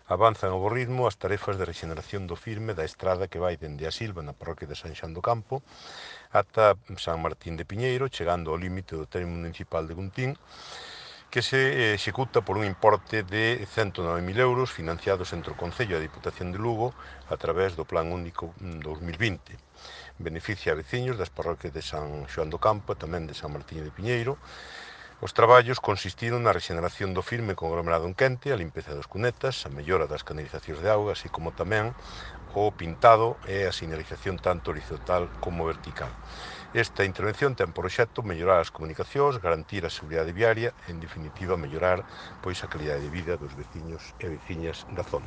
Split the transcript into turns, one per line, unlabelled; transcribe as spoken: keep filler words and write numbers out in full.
Avanzan a bo ritmo as tarefas de rexeneración do firme da estrada que vai dende a Silva na parroquia de San Xoán do Campo ata San Martín de Piñeiro, chegando ao límite do termo municipal de Guntín, que se executa por un importe de cento nove mil euros financiados entre o Concello e a Diputación de Lugo a través do Plan Único dos mil vinte. Beneficia a veciños das parroquias de San Xoán do Campo e tamén de San Martín de Piñeiro. Os traballos consistiron na rexeneración do firme con aglomerado en quente, a limpeza das cunetas, a mellora das canalizacións de auga, así como tamén o pintado e a sinalización tanto horizontal como vertical. Esta intervención ten por obxecto mellorar as comunicacións, garantir a seguridade viaria e, en definitiva, mellorar pois, a calidade de vida dos veciños e veciñas da zona.